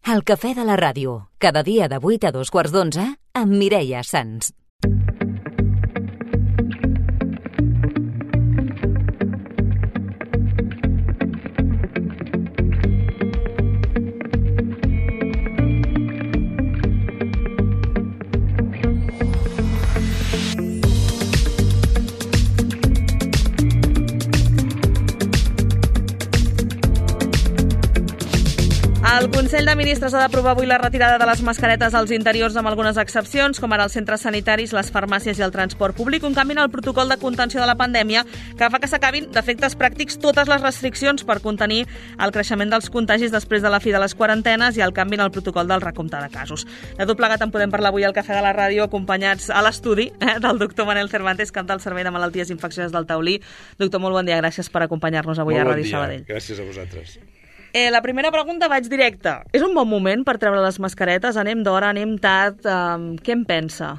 El cafè de la ràdio, cada dia de 8 a 2:15 amb Mireia Sans. El Consell de Ministres ha d'aprovar avui la retirada de les mascaretes als interiors amb algunes excepcions, com ara els centres sanitaris, les farmàcies i el transport públic, un canvi en el protocol de contenció de la pandèmia que fa que s'acabin d'efectes pràctics totes les restriccions per contenir el creixement dels contagis després de la fi de les quarantenes i el canvi en el protocol del recompte de casos. De tot plegat en podem parlar avui al Cafè de la Ràdio, acompanyats a l'estudi del doctor Manel Cervantes, cap del Servei de Malalties Infeccioses del Taulí. Doctor, molt bon dia, gràcies per acompanyar-nos avui a Ràdio Sabadell. Gràcies a vosaltres. La primera pregunta vaig directa. És un bon moment per treure les mascaretes? Anem d'hora, anem tard? Què en pensa?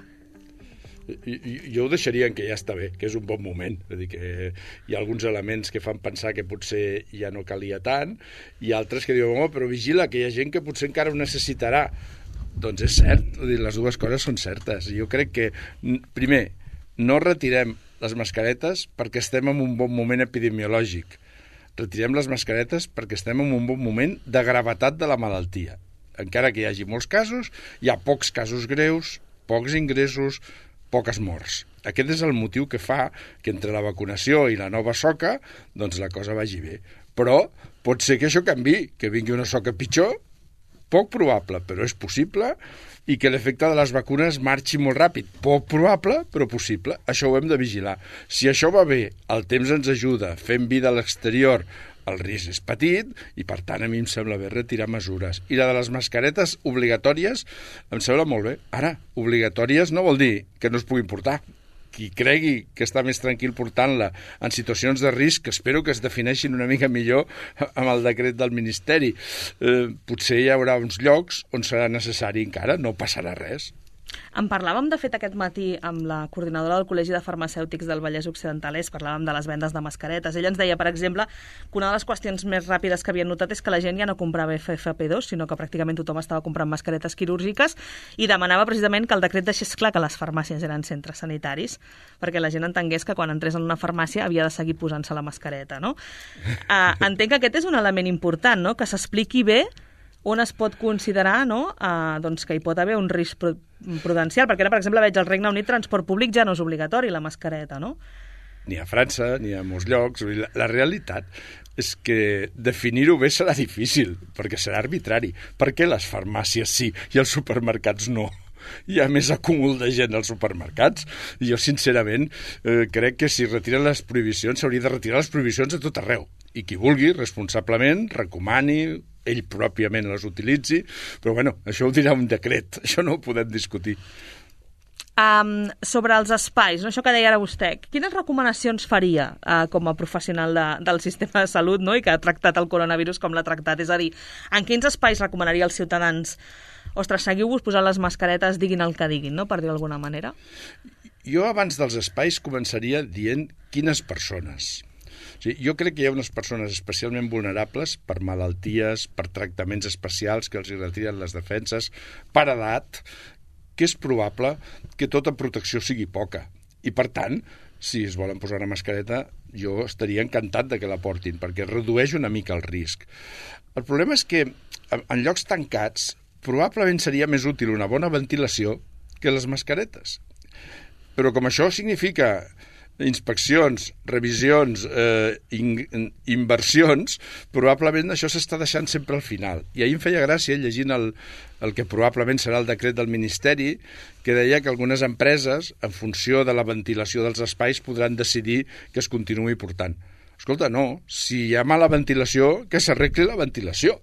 Jo ho deixaria en que ja està bé, que és un bon moment. És a dir, que hi ha alguns elements que fan pensar que potser ja no calia tant, i altres que diuen, però vigila, que hi ha gent que potser encara ho necessitarà. Doncs és cert, les dues coses són certes. Jo crec que, primer, no retirem les mascaretes perquè estem en un bon moment epidemiològic. Retirem les mascaretes perquè estem en un bon moment de gravetat de la malaltia. Encara que hi hagi molts casos, hi ha pocs casos greus, pocs ingressos, poques morts. Aquest és el motiu que fa que entre la vacunació i la nova soca doncs la cosa vagi bé. Però pot ser que això canviï, que vingui una soca pitjor, poc probable, però és possible, i que l'efecte de les vacunes marxi molt ràpid. Poc probable, però possible. Això ho hem de vigilar. Si això va bé, el temps ens ajuda, fem vida a l'exterior, el risc és petit i, per tant, a mi em sembla bé retirar mesures. I la de les mascaretes obligatòries em sembla molt bé. Ara, obligatòries no vol dir que no es puguin portar. Qui cregui que està més tranquil portant-la en situacions de risc, que espero que es defineixin una mica millor amb el decret del Ministeri. Potser hi haurà uns llocs on serà necessari encara, no passarà res. En parlàvem, de fet, aquest matí amb la coordinadora del Col·legi de Farmacèutics del Vallès Occidental, parlàvem de les vendes de mascaretes. Ella ens deia, per exemple, que una de les qüestions més ràpides que havien notat és que la gent ja no comprava FFP2, sinó que pràcticament tothom estava comprant mascaretes quirúrgiques, i demanava precisament que el decret deixés clar que les farmàcies eren centres sanitaris, perquè la gent entengués que quan entrés en una farmàcia havia de seguir posant-se la mascareta, no? Entenc que aquest és un element important, no?, que s'expliqui bé on es pot considerar, no?, doncs que hi pot haver un risc prudencial, perquè ara, per exemple, veig al Regne Unit transport públic ja no és obligatori, la mascareta, no? Ni a França, ni a molts llocs. La realitat és que definir-ho bé serà difícil, perquè serà arbitrari. Per què les farmàcies sí i els supermercats no? Hi ha més acúmul de gent als supermercats. I jo, sincerament, crec que si retiren les prohibicions, s'hauria de retirar les prohibicions a tot arreu. I qui vulgui, responsablement, recomani, ell pròpiament les utilitzi, però bueno, això ho dirà un decret, això no ho podem discutir. Sobre els espais, no? Això que deia ara vostè, quines recomanacions faria com a professional del sistema de salut, no?, i que ha tractat el coronavirus com l'ha tractat? És a dir, en quins espais recomanaria als ciutadans, ostres, seguiu-vos posant les mascaretes, diguin el que diguin, no?, per dir d'alguna manera? Jo abans dels espais començaria dient quines persones. Sí, jo crec que hi ha unes persones especialment vulnerables per malalties, per tractaments especials que els retiren les defenses, per edat, que és probable que tota protecció sigui poca. I, per tant, si es volen posar una mascareta, jo estaria encantat de que la portin, perquè redueix una mica el risc. El problema és que en llocs tancats probablement seria més útil una bona ventilació que les mascaretes. Però com això significa inspeccions, revisions, inversions, probablement això s'està deixant sempre al final. I ahir em feia gràcia, llegint el que probablement serà el decret del Ministeri, que deia que algunes empreses, en funció de la ventilació dels espais, podran decidir que es continuï portant. Escolta, no, si hi ha mala ventilació, que s'arregli la ventilació.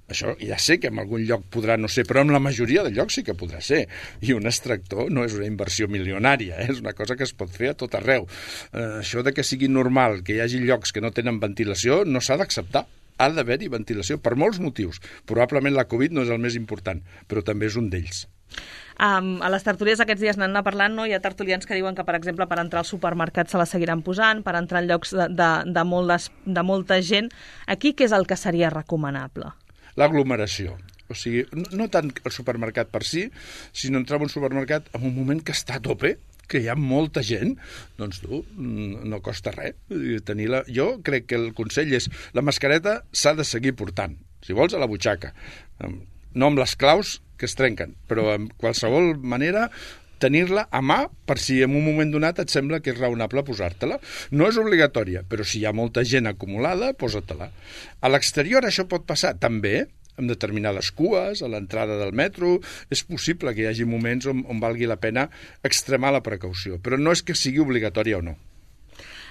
Això ja sé que en algun lloc podrà no ser, però en la majoria de llocs sí que podrà ser. I un extractor no és una inversió milionària, és una cosa que es pot fer a tot arreu. Això de que sigui normal que hi hagi llocs que no tenen ventilació no s'ha d'acceptar. Ha d'haver-hi ventilació per molts motius. Probablement la Covid no és el més important, però també és un d'ells. A les tertúlies aquests dies n'han anat parlant, no? Hi ha tertulians que diuen que, per exemple, per entrar al supermercat se la seguiran posant, per entrar en llocs de molta gent. Aquí què és el que seria recomanable? L'aglomeració. O sigui, no tant el supermercat per si, sinó entrar en un supermercat en un moment que està a tope, que hi ha molta gent, doncs tu, no costa res tenir-la. Jo crec que el consell és la mascareta s'ha de seguir portant, si vols a la butxaca, no amb les claus que es trenquen, però en qualsevol manera tenir-la a mà per si en un moment donat et sembla que és raonable posar-te-la. No és obligatòria, però si hi ha molta gent acumulada, posa-te-la. A l'exterior això pot passar també, amb determinades cues, a l'entrada del metro. És possible que hi hagi moments on valgui la pena extremar la precaució, però no és que sigui obligatòria o no.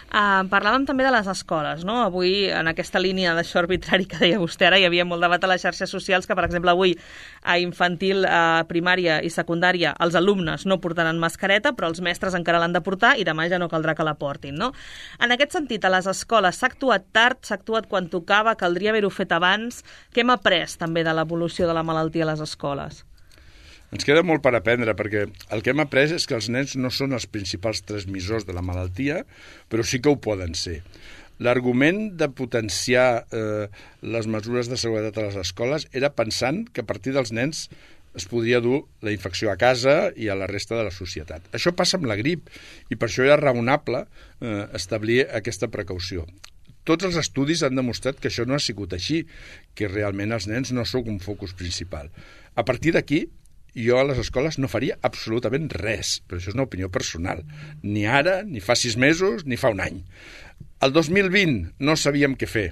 Parlàvem també de les escoles, no? Avui, en aquesta línia d'això arbitrari que deia vostè ara, hi havia molt debat a les xarxes socials que, per exemple, avui a infantil, primària i secundària els alumnes no portaran mascareta, però els mestres encara l'han de portar i demà ja no caldrà que la portin, no? En aquest sentit, a les escoles s'ha actuat tard, s'ha actuat quan tocava, caldria haver-ho fet abans. Què hem après també de l'evolució de la malaltia a les escoles? Ens queda molt per aprendre, perquè el que hem après és que els nens no són els principals transmissors de la malaltia, però sí que ho poden ser. L'argument de potenciar les mesures de seguretat a les escoles era pensant que a partir dels nens es podria dur la infecció a casa i a la resta de la societat. Això passa amb la grip, i per això era raonable establir aquesta precaució. Tots els estudis han demostrat que això no ha sigut així, que realment els nens no són un focus principal. A partir d'aquí, jo a les escoles no faria absolutament res, però això és una opinió personal. Ni ara, ni fa 6 mesos, ni fa un any. El 2020 no sabíem què fer.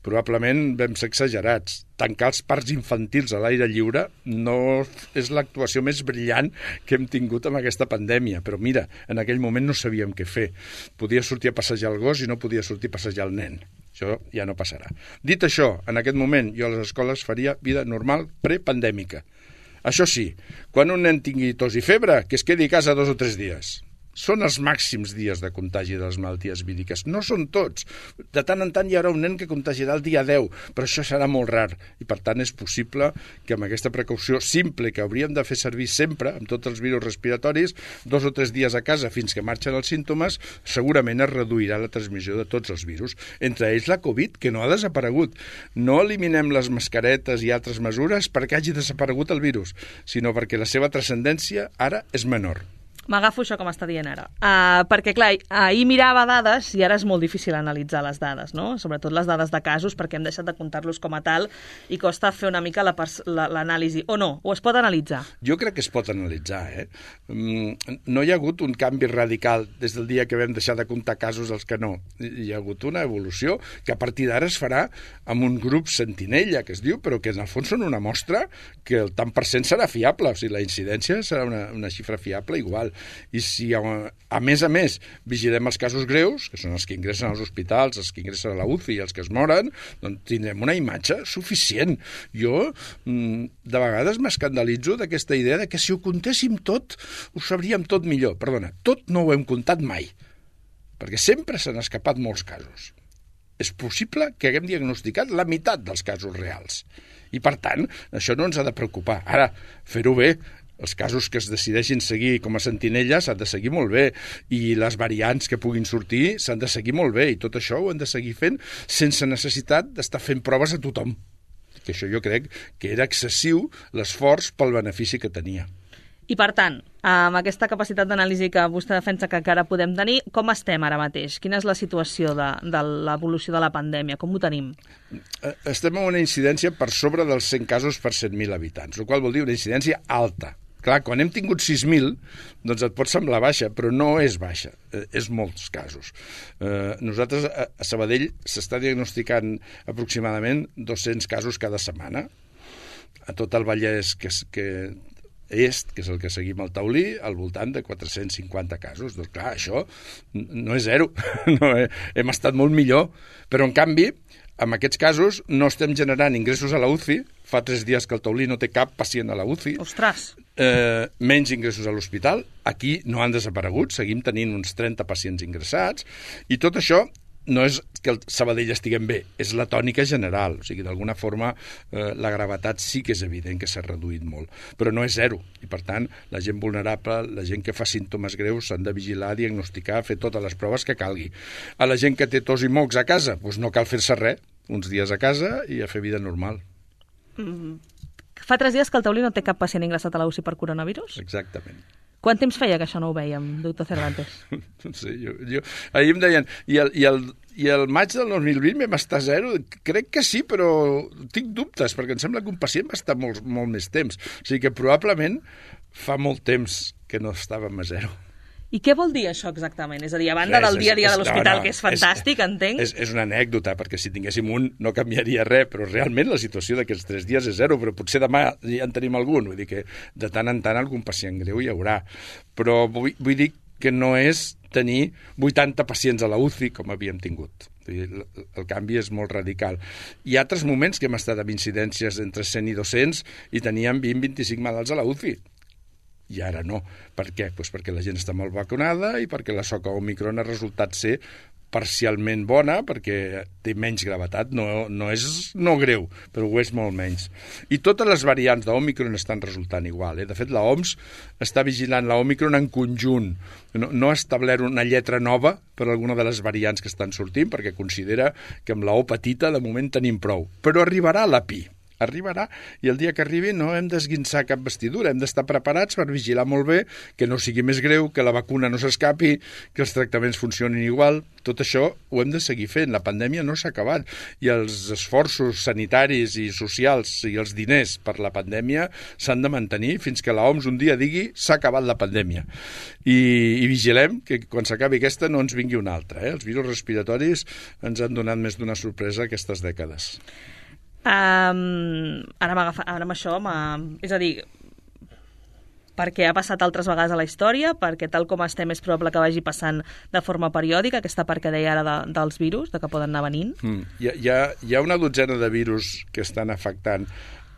Probablement vam ser exagerats. Tancar els parcs infantils a l'aire lliure no és l'actuació més brillant que hem tingut amb aquesta pandèmia. Però mira, en aquell moment no sabíem què fer. Podia sortir a passejar el gos i no podia sortir a passejar el nen. Això ja no passarà. Dit això, en aquest moment jo a les escoles faria vida normal prepandèmica. Això sí, quan un nen tingui tos i febre, que es quedi a casa 2 o 3 dies. Són els màxims dies de contagi de les malalties víriques. No són tots. De tant en tant hi haurà un nen que contagiarà el dia 10, però això serà molt rar. I per tant és possible que amb aquesta precaució simple que hauríem de fer servir sempre, amb tots els virus respiratoris, 2 o 3 dies a casa fins que marxen els símptomes, segurament es reduirà la transmissió de tots els virus. Entre ells la Covid, que no ha desaparegut. No eliminem les mascaretes i altres mesures perquè hagi desaparegut el virus, sinó perquè la seva transcendència ara és menor. M'agafo això com està dient ara. Perquè, clar, ahir mirava dades i ara és molt difícil analitzar les dades, no? Sobretot les dades de casos, perquè hem deixat de comptar-los com a tal i costa fer una mica l'anàlisi. O no? O es pot analitzar? Jo crec que es pot analitzar, No hi ha hagut un canvi radical des del dia que vam deixar de comptar casos als que no. Hi ha hagut una evolució que a partir d'ara es farà amb un grup sentinella, que es diu, però que en el fons són una mostra que el tant per cent serà fiable. O sigui, la incidència serà una xifra fiable igual. I si a més vigilem els casos greus, que són els que ingressen als hospitals, els que ingressen a la UCI i els que es moren, doncs tindrem una imatge suficient. Jo de vegades m'escandalitzo d'aquesta idea de que si ho comptéssim tot, ho sabríem tot millor. Perdona, tot no ho hem comptat mai, perquè sempre s'han escapat molts casos. És possible que haguem diagnosticat la meitat dels casos reals. I, per tant, això no ens ha de preocupar. Ara, fer-ho bé. Els casos que es decideixin seguir com a sentinella s'han de seguir molt bé i les variants que puguin sortir s'han de seguir molt bé i tot això ho hem de seguir fent sense necessitat d'estar fent proves a tothom. Que això jo crec que era excessiu l'esforç pel benefici que tenia. I per tant, amb aquesta capacitat d'anàlisi que vostè defensa que encara podem tenir, com estem ara mateix? Quina és la situació de l'evolució de la pandèmia? Com ho tenim? Estem en una incidència per sobre dels 100 casos per 100.000 habitants, el qual vol dir una incidència alta. Clar, quan hem tingut 6.000, doncs et pot semblar baixa, però no és baixa, és molts casos. Nosaltres a Sabadell s'està diagnosticant aproximadament 200 casos cada setmana. A tot el Vallès, que és el que seguim al taulí, al voltant de 450 casos. Doncs clar, això no és zero, hem estat molt millor, però en canvi, en aquests casos no estem generant ingressos a la UCI, fa 3 dies que el taulí no té cap pacient a la UCI. Ostres! Menys ingressos a l'hospital, aquí no han desaparegut, seguim tenint uns 30 pacients ingressats, i tot això no és que el Sabadell estiguem bé, és la tònica general. O sigui, d'alguna forma, la gravetat sí que és evident que s'ha reduït molt, però no és zero. I, per tant, la gent vulnerable, la gent que fa símptomes greus, s'han de vigilar, diagnosticar, fer totes les proves que calgui. A la gent que té tos i mocs a casa, doncs no cal fer-se res, uns dies a casa i a fer vida normal. Fa 3 dies que el Taulí no té cap pacient ingressat a la UCI per coronavirus? Exactament. Quant temps feia que això no ho vèiem, doctor Cervantes? No sé, jo... Ahir em deien, i el maig del 2020 vam estar a 0? Crec que sí, però tinc dubtes, perquè em sembla que un pacient va estar molt més temps. O sigui que probablement fa molt temps que no estàvem a 0. I què vol dir això exactament? És a dir, a banda del dia a dia de l'hospital, que és fantàstic, entenc... És una anècdota, perquè si tinguéssim un no canviaria res, però realment la situació d'aquests 3 dies és 0, però potser demà ja en tenim algun, vull dir que de tant en tant algun pacient greu hi haurà. Però vull dir que no és tenir 80 pacients a la UCI com havíem tingut. El canvi és molt radical. Hi ha altres moments que hem estat amb incidències entre 100 i 200 i teníem 20-25 malalts a la UCI. I ara no. Per què? Pues perquè la gent està molt vacunada i perquè la soca Omicron ha resultat ser parcialment bona, perquè té menys gravetat, no és no greu, però ho és molt menys. I totes les variants d'Omicron estan resultant igual. De fet, l'OMS està vigilant l'Omicron en conjunt. No ha establert una lletra nova per alguna de les variants que estan sortint, perquè considera que amb la O petita de moment tenim prou. Però arribarà la Pi. Arribarà, i el dia que arribi no hem d'esguinçar cap vestidura, hem d'estar preparats per vigilar molt bé, que no sigui més greu, que la vacuna no s'escapi, que els tractaments funcionin igual. Tot això ho hem de seguir fent. La pandèmia no s'ha acabat i els esforços sanitaris i socials i els diners per la pandèmia s'han de mantenir fins que l'OMS un dia digui s'ha acabat la pandèmia. I vigilem que quan s'acabi aquesta no ens vingui una altra. Els virus respiratoris ens han donat més d'una sorpresa aquestes dècades. Ara amb això, és a dir, perquè ha passat altres vegades a la història, perquè tal com estem és probable que vagi passant de forma periòdica, aquesta part que deia ara dels virus, de que poden anar venint. Hi ha una dotzena de virus que estan afectant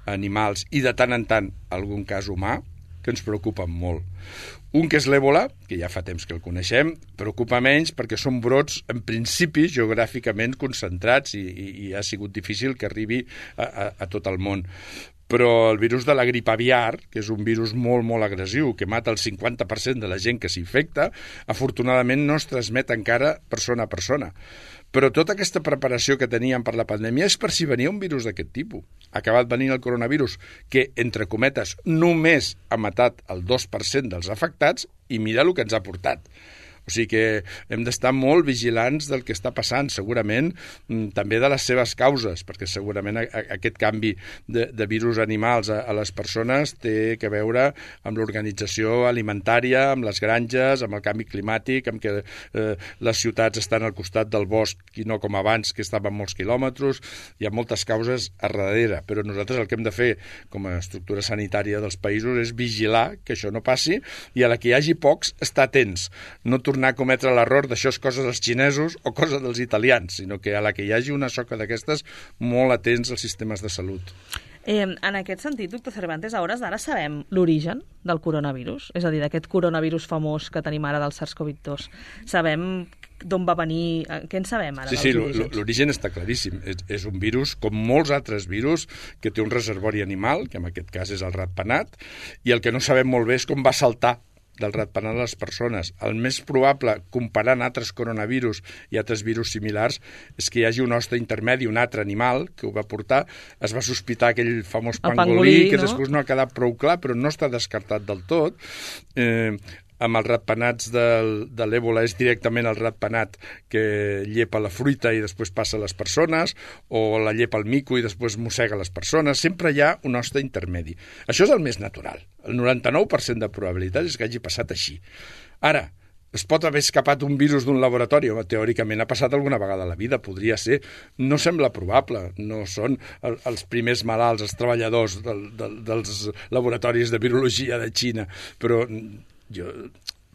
animals i de tant en tant algun cas humà que ens preocupen molt. Un que és l'èbola, que ja fa temps que el coneixem, preocupa menys perquè són brots, en principi, geogràficament concentrats i ha sigut difícil que arribi a tot el món. Però el virus de la grip aviar, que és un virus molt, molt agressiu, que mata el 50% de la gent que s'infecta, afortunadament no es transmet encara persona a persona. Però tota aquesta preparació que teníem per la pandèmia és per si venia un virus d'aquest tipus. Ha acabat venint el coronavirus, que, entre cometes, només ha matat el 2% dels afectats i mira el que ens ha portat. O sigui que hem d'estar molt vigilants del que està passant, segurament també de les seves causes, perquè segurament aquest canvi de virus animals a les persones té que veure amb l'organització alimentària, amb les granges, amb el canvi climàtic, amb que les ciutats estan al costat del bosc i no com abans, que estaven molts quilòmetres. Hi ha moltes causes a darrere, però nosaltres el que hem de fer com a estructura sanitària dels països és vigilar que això no passi i a la que hi hagi pocs, estar atents, no tornar a cometre l'error d'això és cosa dels xinesos o cosa dels italians, sinó que a la que hi hagi una soca d'aquestes, molt atents als sistemes de salut. En aquest sentit, doctor Cervantes, a hores d'ara sabem l'origen del coronavirus, és a dir, d'aquest coronavirus famós que tenim ara del SARS-CoV-2. Sabem d'on va venir, què en sabem ara? Sí, l'origen està claríssim. És un virus, com molts altres virus, que té un reservori animal, que en aquest cas és el ratpenat, i el que no sabem molt bé és com va saltar del ratpenat a les persones. El més probable, comparant altres coronavirus i altres virus similars, és que hi hagi un hoste intermedi, un altre animal que ho va portar. Es va sospitar aquell famós pangolí, que després no ha quedat prou clar, però no està descartat del tot. Amb els ratpenats de l'èbola és directament el ratpenat que llepa la fruita i després passa a les persones, o la llepa el mico i després mossega les persones. Sempre hi ha un hoste intermedi. Això és el més natural. El 99% de probabilitat és que hagi passat així. Ara, es pot haver escapat un virus d'un laboratori? Teòricament ha passat alguna vegada a la vida, podria ser. No sembla probable. No són els primers malalts, els treballadors dels laboratoris de virologia de Xina, però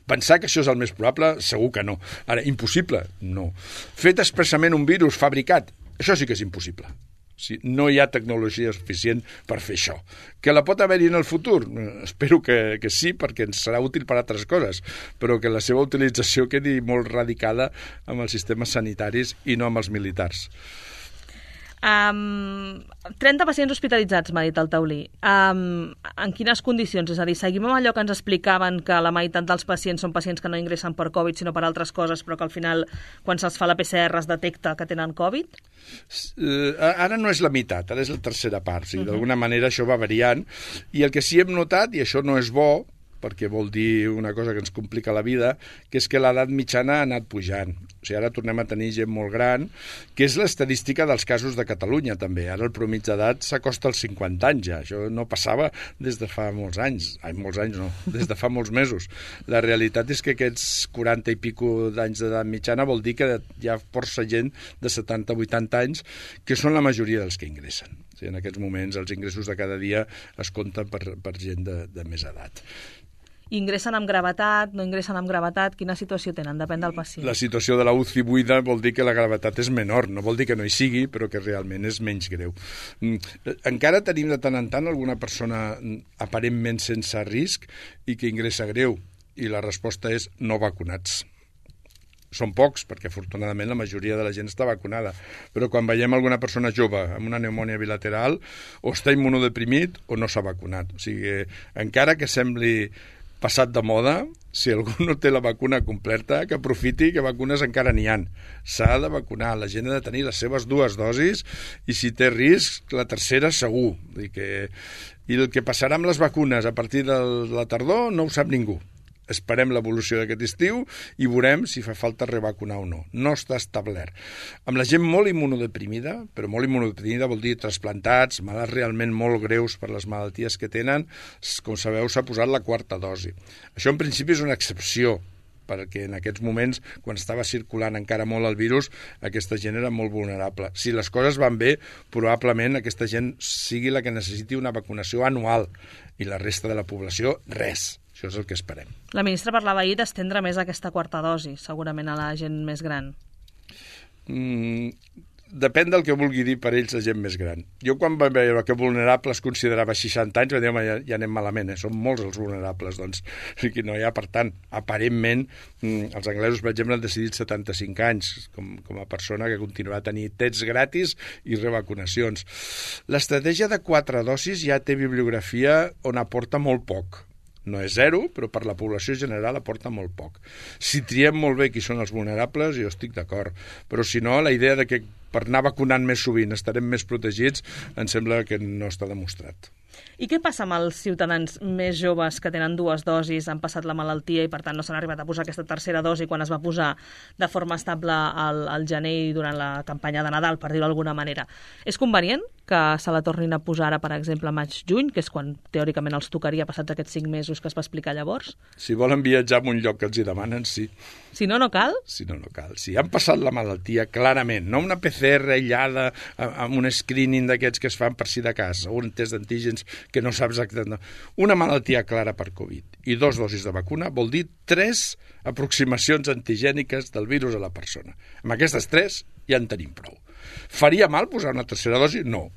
pensar que això és el més probable, segur que no. Ara, impossible? No. Fet expressament un virus fabricat? Això sí que és impossible. No hi ha tecnologia suficient per fer això. Que la pot haver-hi en el futur? Espero que sí, perquè ens serà útil per altres coses, però que la seva utilització quedi molt radicada amb els sistemes sanitaris i no amb els militars. 30 pacients hospitalitzats, m'ha dit el taulí. En quines condicions? És a dir, seguim amb allò que ens explicaven, que la meitat dels pacients són pacients que no ingressen per Covid, sinó per altres coses, però que al final, quan se'ls fa la PCR, es detecta que tenen Covid? Ara no és la meitat, ara és la tercera part. O sigui, d'alguna manera això va variant. I el que sí hem notat, i això no és bo, perquè vol dir una cosa que ens complica la vida, que és que l'edat mitjana ha anat pujant. O sigui, ara tornem a tenir gent molt gran, que és l'estadística dels casos de Catalunya, també. Ara el promig d'edat s'acosta als 50 anys, ja. Això no passava des de fa molts anys. Molts anys no, des de fa molts mesos. La realitat és que aquests 40 i pico d'anys d'edat mitjana vol dir que hi ha força gent de 70-80 anys, que són la majoria dels que ingressen. O sigui, en aquests moments els ingressos de cada dia es compten per gent de més edat. Ingressen amb gravetat, no ingressen amb gravetat? Quina situació tenen? Depèn del pacient. La situació de la UCI buida vol dir que la gravetat és menor. No vol dir que no hi sigui, però que realment és menys greu. Encara tenim de tant en tant alguna persona aparentment sense risc i que ingressa greu. I la resposta és no vacunats. Són pocs, perquè afortunadament la majoria de la gent està vacunada. Però quan veiem alguna persona jove amb una pneumònia bilateral, o està immunodeprimit o no s'ha vacunat. O sigui, encara que sembli passat de moda, si algú no té la vacuna completa, que aprofiti, que vacunes encara n'hi ha. S'ha de vacunar, la gent ha de tenir les seves 2 dosis i si té risc, la tercera segur. I el que passarà amb les vacunes a partir de la tardor no ho sap ningú. Esperem l'evolució d'aquest estiu i veurem si fa falta revacunar o no. No està establert. Amb la gent molt immunodeprimida, però molt immunodeprimida vol dir trasplantats, malalts realment molt greus per les malalties que tenen, com sabeu s'ha posat la 4ª dosi. Això en principi és una excepció, perquè en aquests moments, quan estava circulant encara molt el virus, aquesta gent era molt vulnerable. Si les coses van bé, probablement aquesta gent sigui la que necessiti una vacunació anual i la resta de la població, res. Això és el que esperem. La ministra parlava ahir d'estendre més aquesta 4ª dosi, segurament a la gent més gran. Depèn del que vulgui dir per ells la gent més gran. Jo quan vaig veure que vulnerable es considerava 60 anys, vaig dir, ja anem malament, són molts els vulnerables, doncs no hi ha, per tant, aparentment, els anglesos, per exemple, han decidit 75 anys com a persona que continuarà a tenir tests gratis i revacunacions. L'estratègia de 4 dosis ja té bibliografia on aporta molt poc. No és zero, però per la població general aporta molt poc. Si triem molt bé qui són els vulnerables, jo estic d'acord. Però si no, la idea de que per anar vacunant més sovint estarem més protegits, em sembla que no està demostrat. I què passa amb els ciutadans més joves que tenen 2 dosis, han passat la malaltia i per tant no s'han arribat a posar aquesta tercera dosi quan es va posar de forma estable al gener i durant la campanya de Nadal, per dir-ho d'alguna manera? És convenient que se la tornin a posar ara, per exemple, a maig-juny, que és quan teòricament els tocaria passats aquests 5 mesos que es va explicar llavors? Si volen viatjar a un lloc que els hi demanen, sí. Si no, no cal? Si no, no cal. Si han passat la malaltia, clarament, no una PCR aïllada amb un screening d'aquests que es fan per si de cas, o un test d'antígens que no saps exactament. Una malaltia clara per Covid i 2 dosis de vacuna vol dir 3 aproximacions antigèniques del virus a la persona. Amb aquestes 3 ja en tenim prou. Faria mal posar una tercera dosi? No.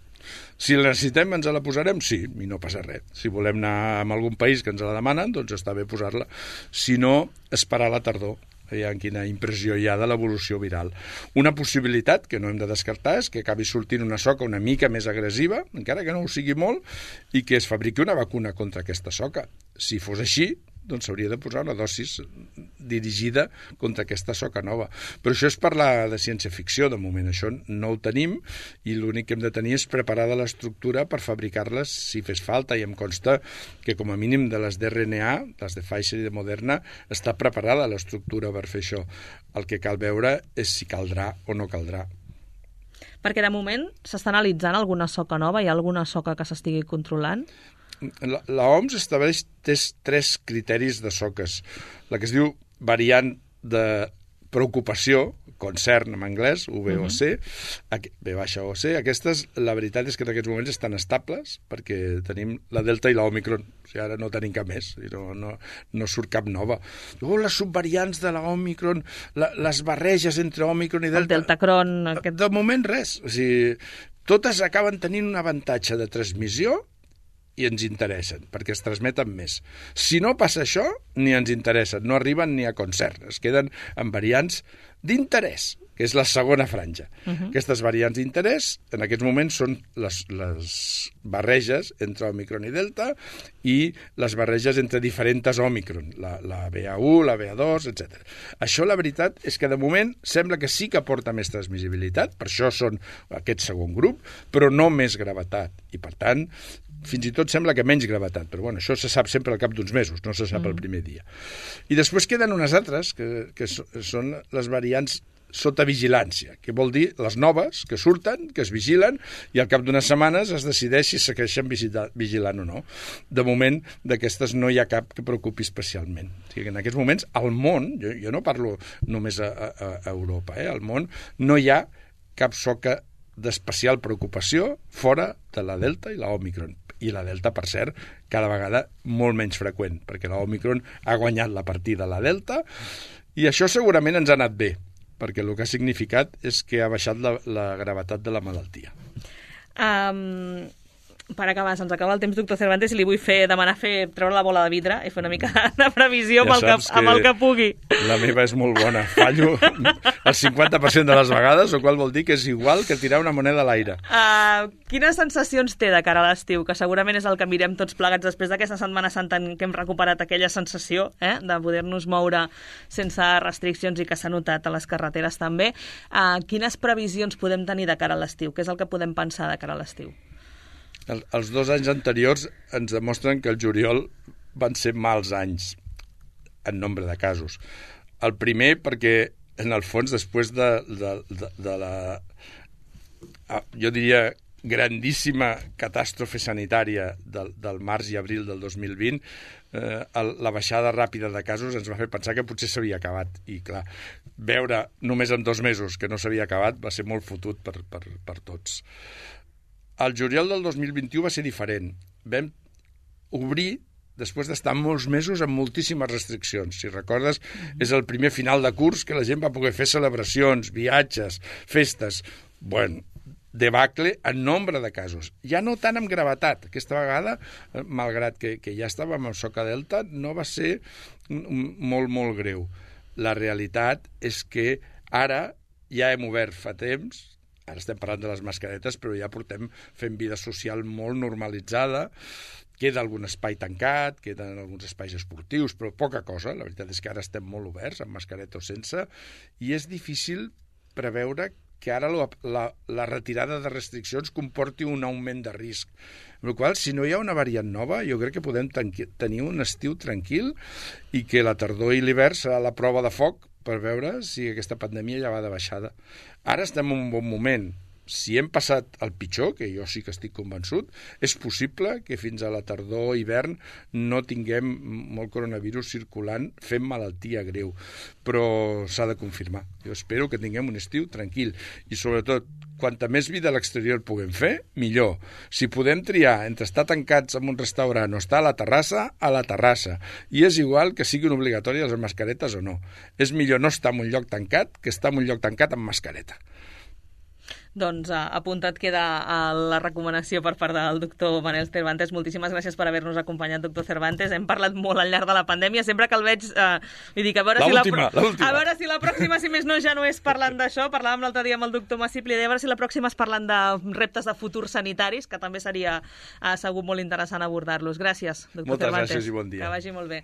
Si la necessitem, ens la posarem? Sí, i no passa res. Si volem anar a algun país que ens la demanen, doncs està bé posar-la. Si no, esperar la tardor. Veiem quina impressió hi ha de l'evolució viral. Una possibilitat que no hem de descartar és que acabi sortint una soca una mica més agressiva, encara que no ho sigui molt, i que es fabriqui una vacuna contra aquesta soca. Si fos així, doncs s'hauria de posar una dosis dirigida contra aquesta soca nova. Però això és parlar de ciència-ficció, de moment això no ho tenim, i l'únic que hem de tenir és preparada l'estructura per fabricar-les si fes falta, i em consta que com a mínim de les d'RNA, les de Pfizer i de Moderna, està preparada l'estructura per fer això. El que cal veure és si caldrà o no caldrà. Perquè de moment s'està analitzant alguna soca nova? Hi ha alguna soca que s'estigui controlant? La OMS estableix 3 criteris de soques. La que es diu variant de preocupació, concern en anglès, VOC, V-O-C. Aquestes, la veritat és que en aquests moments estan estables, perquè tenim la Delta i l'Òmicron. O sigui, ara no tenim cap més, no surt cap nova. Les subvariants de l'Òmicron, les barreges entre Òmicron i Delta... El Deltacron... De moment res. O sigui, totes acaben tenint un avantatge de transmissió i ens interessen, perquè es transmeten més. Si no passa això, ni ens interessen, no arriben ni a concert, es queden amb variants d'interès, que és la segona franja. Aquestes variants d'interès, en aquests moments, són les barreges entre Òmicron i Delta i les barreges entre diferents Òmicron, la BA1, la BA2, etc. Això, la veritat, és que de moment sembla que sí que aporta més transmissibilitat, per això són aquest segon grup, però no més gravetat. I, per tant, fins i tot sembla que menys gravetat, però bueno, això se sap sempre al cap d'uns mesos, no se sap el primer dia. I després queden unes altres, que són les variants sota vigilància, que vol dir les noves que surten, que es vigilen, i al cap d'unes setmanes es decideix si segueixen vigilant o no. De moment, d'aquestes no hi ha cap que preocupi especialment. O sigui, en aquests moments, al món, jo no parlo només a Europa, al món no hi ha cap soca d'especial preocupació fora de la Delta i la Òmicron. I la Delta, per cert, cada vegada molt menys freqüent, perquè la Òmicron ha guanyat la partida a la Delta, i això segurament ens ha anat bé, perquè el que ha significat és que ha baixat la gravetat de la malaltia. Per acabar, se'ns acaba el temps, doctor Cervantes, i li vull demanar treure la bola de vidre i fer una mica de previsió amb el que pugui. La meva és molt bona. Fallo el 50% de les vegades, o qual vol dir que és igual que tirar una moneda a l'aire. Quines sensacions té de cara a l'estiu? Que segurament és el que mirem tots plegats després d'aquesta Setmana Santa en què hem recuperat aquella sensació de poder-nos moure sense restriccions i que s'ha notat a les carreteres també. Quines previsions podem tenir de cara a l'estiu? Què és el que podem pensar de cara a l'estiu? Els 2 anys anteriors ens demostren que el juliol van ser mals anys en nombre de casos. El primer perquè, en el fons, després de la, jo diria, grandíssima catàstrofe sanitària del març i abril del 2020, la baixada ràpida de casos ens va fer pensar que potser s'havia acabat. I, clar, veure només en 2 mesos que no s'havia acabat va ser molt fotut per tots. El juliol del 2021 va ser diferent. Vam obrir després d'estar molts mesos amb moltíssimes restriccions. Si recordes, és el primer final de curs que la gent va poder fer celebracions, viatges, festes. Bueno, debacle en nombre de casos. Ja no tant amb gravetat. Aquesta vegada, malgrat que ja estàvem amb soca delta, no va ser molt, molt greu. La realitat és que ara ja hem obert fa temps. Ara estem parlant de les mascaretes, però ja portem fent vida social molt normalitzada. Queda algun espai tancat, queden alguns espais esportius, però poca cosa. La veritat és que ara estem molt oberts, amb mascareta o sense, i és difícil preveure que ara la retirada de restriccions comporti un augment de risc. Amb la qual cosa, si no hi ha una variant nova, jo crec que podem tenir un estiu tranquil i que la tardor i l'hivern serà la prova de foc per veure si aquesta pandèmia ja va de baixada. Ara estem en un bon moment. Si hem passat el pitjor, que jo sí que estic convençut, és possible que fins a la tardor o hivern no tinguem molt coronavirus circulant fent malaltia greu, però s'ha de confirmar. Jo espero que tinguem un estiu tranquil i, sobretot, quanta més vida a l'exterior puguem fer, millor. Si podem triar entre estar tancats en un restaurant o estar a la terrassa. I és igual que siguin obligatòries les mascaretes o no. És millor no estar en un lloc tancat que estar en un lloc tancat amb mascareta. Doncs apuntat queda la recomanació per part del doctor Manel Cervantes. Moltíssimes gràcies per haver-nos acompanyat, doctor Cervantes. Hem parlat molt al llarg de la pandèmia. Sempre que el veig, vull dir que a veure si la pròxima, si més no, ja no és parlant d'això. Parlàvem l'altre dia amb el doctor Massipli, a veure si la pròxima és parlant de reptes de futurs sanitaris, que també seria segur molt interessant abordar-los. Gràcies, doctor Cervantes. Moltes gràcies i bon dia. Que vagi molt bé.